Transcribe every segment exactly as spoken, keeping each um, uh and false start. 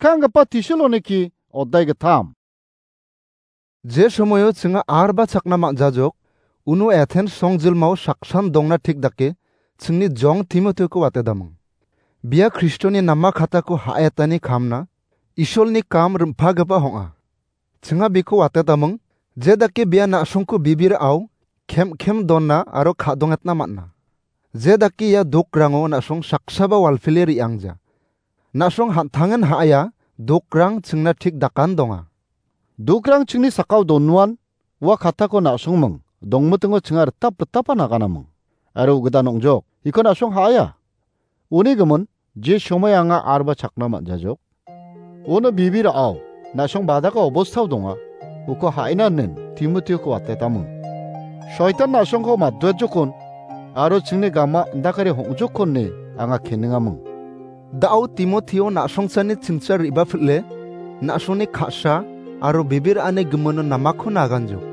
skanggipa tisil oneki odai gittam. Je somoio chinga arba chakna man·jajok, uno Athens songjilmao saksan dongna thik dake chingni jong Timotioko watetaming. Bia Kristoni nama katako ha·etani kamna Isolni kam rim·pagipa ong·a. Chinga biko watetaming, je dake bia na·songko bibirao kem-kem donna aro ka·dongetna man·a. Je dake ia dokrango na·song saksaba walpile re·angja. Na·song han·tangen ha·aia, dokrang chingna thik dakan donga. Dokrang chingni sakao donuan, ua katako na·songming, dongmitingo chinga ritap ritapa naganaming. Aro ugidan ong·jok, iko na·song ha·aia. Uni gimin, je somoi anga arba chakna man·jajok. Uno bibirao, na·song badaka obostao donga, uko ha·ina inen Timotioko watetaming. Soitan na·songko maduajokon, aro chingni gama indakare hong·jokon ine anga keningaming. Da·o Timotio na·songchani chingcha re·bapil·e, na·songni ka·sa aro bibir a·ani gimino namako naganjok.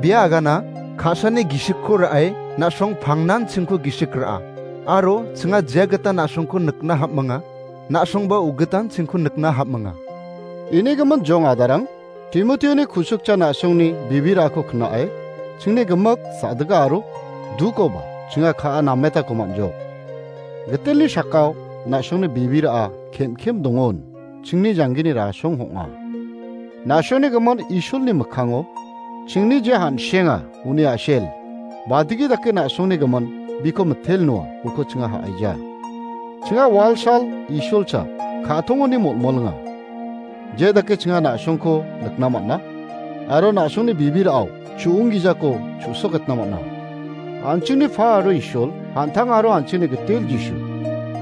Bia agana ka·sani gisikko ra·e na·song pangnan chingko gisik ra·a. Aro chinga je gita na·songko nikna ham·minga, na·songba ugitan chingko nikna ham·minga. Ini gimin jong adarang, Timotioni kusukcha na·songni bibirako kna·e, chingni gimik sa·dika aro dukoba chinga ka·a nametako man·jok. Gitelni sakao na·songni bibira kem-kem dongon, chingni janggini rasong ong·a. Na·songni gimin Isolni mikkango chingni je han·senga uni a·sel, badigi dake na·songni gimin biko mitel noa, uko chinga ha·aija. Chinga walsal Isolcha ka·tongoni molmolinga. Je dake chinga na·songko nikna man·a, aro na·songni bibirao chu·onggijako chu·soketna man·a. An·chingni Pa aro Isol, an·tang aro an·chingni gitel Jisu,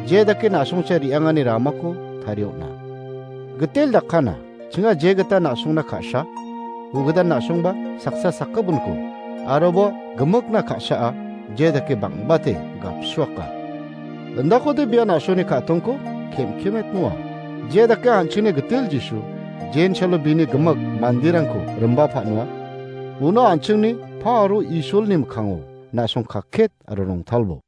je dake na·songcha re·angani ramako tarie on·a. Gitel dakana, chinga je gita na·songna ka·sa, ugidan na·songba saksa sakgipinko, aroba gimikna ka·saa je dake bang·bate gapsuaka. Indakode bia na·songni ka·tongko kem-kemet noa. Je dake an·chingni gitel Jisu, jensalo bini gimik manderangko rimba pa·noa, uno an·chingni Pa aro Isolni mikkango na·song kakket aro rongtalbo.